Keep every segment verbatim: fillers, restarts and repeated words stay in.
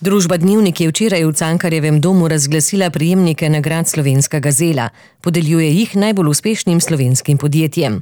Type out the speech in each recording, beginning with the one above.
Družba Dnevnik je včeraj v Cankarjevem domu razglasila prejemnike nagrad Slovenska gazela. Podeljuje jih najbolj uspešnim slovenskim podjetjem.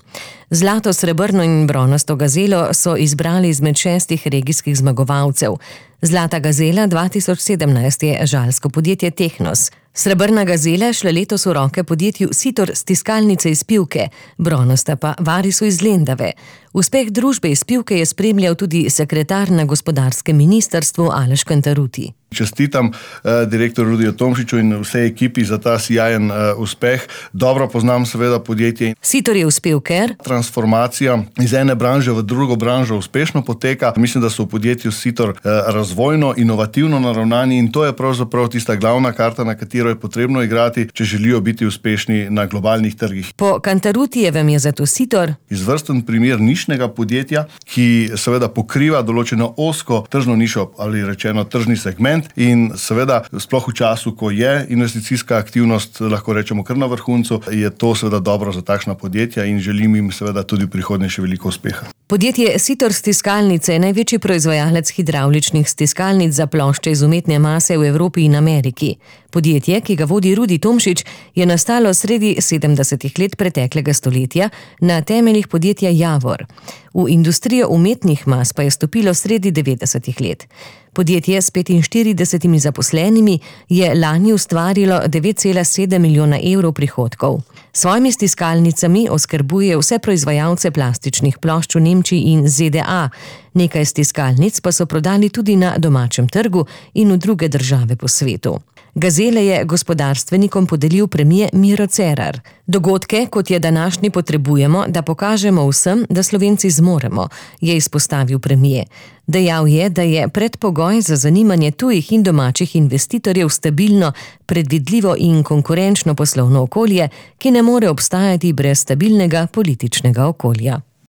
Zlato, srebrno in bronasto gazelo so izbrali izmed šestih regijskih zmagovalcev. Zlata gazela dva tisoč sedemnajst je žalsko podjetje Tehnos. Srebrna gazela šla letos v roke podjetju Sitor stiskalnice iz Pivke, bronasta pa Varisu iz Lendave. Uspeh družbe iz Pivke je spremljal tudi sekretar na gospodarskem ministrstvu Aleš Kantarutti. Čestitam eh, direktor Rudiju Tomšiču in vsej ekipi za ta sijajen eh, uspeh. Dobro poznam seveda podjetje. Sitor je uspel, ker transformacija iz ene branže v drugo branžo uspešno poteka. Mislim, da so v podjetju Sitor eh, razvojno, inovativno naravnani in to je pravzaprav tista glavna karta, na katero je potrebno igrati, če želijo biti uspešni na globalnih trgih. Po Kantarutijevem je zato Sitor izvrsten primer nišnega podjetja, ki seveda pokriva določeno ozko tržno nišo ali rečeno tržni segment. In seveda, sploh v času, ko je investicijska aktivnost, lahko rečemo kar na vrhuncu, je to seveda dobro za takšna podjetja in želim jim seveda tudi v prihodnje še veliko uspeha. Podjetje Sitor stiskalnice je največji proizvajalec hidravličnih stiskalnic za plošče iz umetne mase v Evropi in Ameriki. Podjetje, ki ga vodi Rudi Tomšič, je nastalo sredi sedemdesetih let preteklega stoletja na temeljih podjetja Javor. V industrijo umetnih mas pa je stopilo sredi devetdesetih let. Podjetje s petinštiridesetimi zaposlenimi je lani ustvarilo devet cela sedem milijona evrov prihodkov. S svojimi stiskalnicami oskrbuje vse proizvajalce plastičnih plošč v Nemčiji in Z D A. Nekaj stiskalnic pa so prodali tudi na domačem trgu in v druge države po svetu. Gazele je gospodarstvenikom podelil premije Miro Cerar. Dogodke, kot je današnji, potrebujemo, da pokažemo vsem, da Slovenci zmoremo, je izpostavil premije. Dejal je, da je predpogoj za zanimanje tujih in domačih investitorjev stabilno, predvidljivo in konkurenčno poslovno okolje, ki ne more obstajati brez stabilnega političnega okolja.